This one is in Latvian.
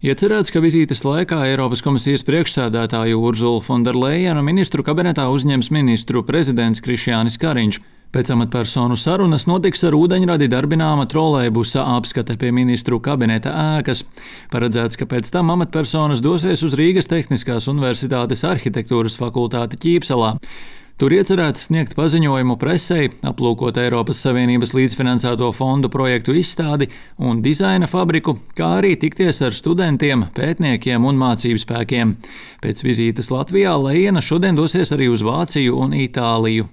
Iecerēts, ka vizītes laikā Eiropas komisijas priekšsēdētāju Urzulu Fonderlejenu ministru kabinetā uzņems ministru prezidents Krišjānis Kariņš. Pēc amatpersonu sarunas notiks ar ūdeņradi darbināma trolejbusa apskate pie ministru kabineta ēkas. Paredzēts, ka pēc tam amatpersonas dosies uz Rīgas Tehniskās Universitātes arhitektūras fakultāti Ķīpselā. Tur iecerēts sniegt paziņojumu presei, aplūkot Eiropas Savienības līdzfinansēto fondu projektu izstādi un dizaina fabriku, kā arī tikties ar studentiem, pētniekiem un mācību spēkiem. Pēc vizītes Latvijā Lejena šodien dosies arī uz Vāciju un Itāliju.